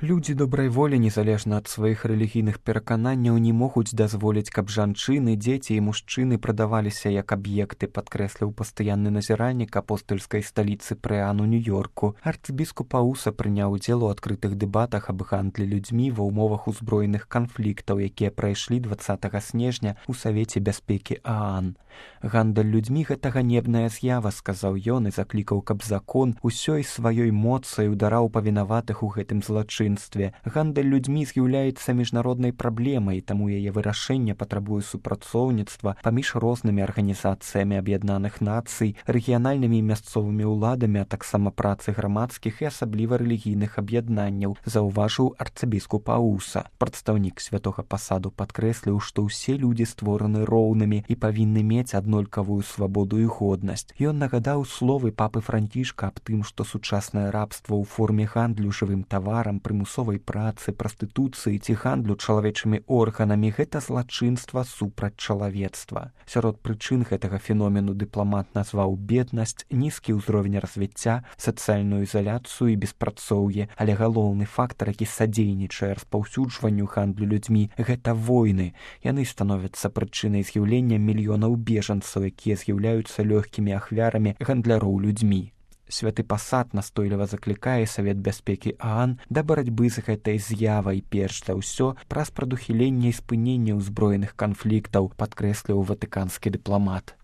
Людзі добрай волі, незалежна ад сваіх рэлігійных перакананняў, не могуць дазволіць, каб жанчыны, дзеці і мужчыны прадаваліся як аб'екты, падкрэсліў пастаянны назіральнік апостальскай сталіцы Прыан у Нью-Йорку. Арцыбіскуп Ауса прыняў удзел у адкрытых дэбатах аб гандлі людзьмі ва ўмовах узброеных канфліктаў, якія прайшлі 20 снежня ў Савеце бяспекі ААН. Гандаль людзьмі — гэта ганебная з'ява, сказаў ён і заклікаў, каб закон усёй сваёй моцай удараў павінаватых у гэтым злачынстве. Гандаль людзьмі з'яўляецца міжнароднай праблемай, таму яе вырашэнне патрабуе супрацоўніцтва паміж рознымі арганізацыямі Аб'яднаных Нацый, рэгіянальнымі і мясцовымі ўладамі, а таксама працы грамадскіх і асабліва рэлігійных аб'яднанняў, заўважыў арцыбіскуп Ауса. Прадстаўнік святога пасаду падкрэсліў, што ўсе людзі створаны роўнымі і павінны мець аднолькавую свабоду і годнасць. Ён нагадаў словы папы Францішка аб тым, што сучаснае рабства ў форме гандлю жывым таварам, прымусовай працы, прастытуцыі ці гандлю чалавечымі органамі — гэта злачынства супраць чалавецтва. Сярод прычын гэтага феномену дыпламат назваў беднасць, нізкі ўзровень развіцця, сацыяльную ізаляцыю і беспрацоўе, але галоўны фактар, які садзейнічае распаўсюджванню гандлю людзьмі — гэта войны. Яны становяцца прычынай з'яўлення мільёнаў бежанцаў, якія з'яўляюцца лёгкімі ахвярамі гандляроў людзьмі. Святы пасад настойліва заклікае Савет бяспекі ААН да барацьбы з гэтай з'явай, перш за ўсё праз прадухіленне і спыненне ўзброеных канфліктаў, падкрэсліў ватыканскі дыпламат.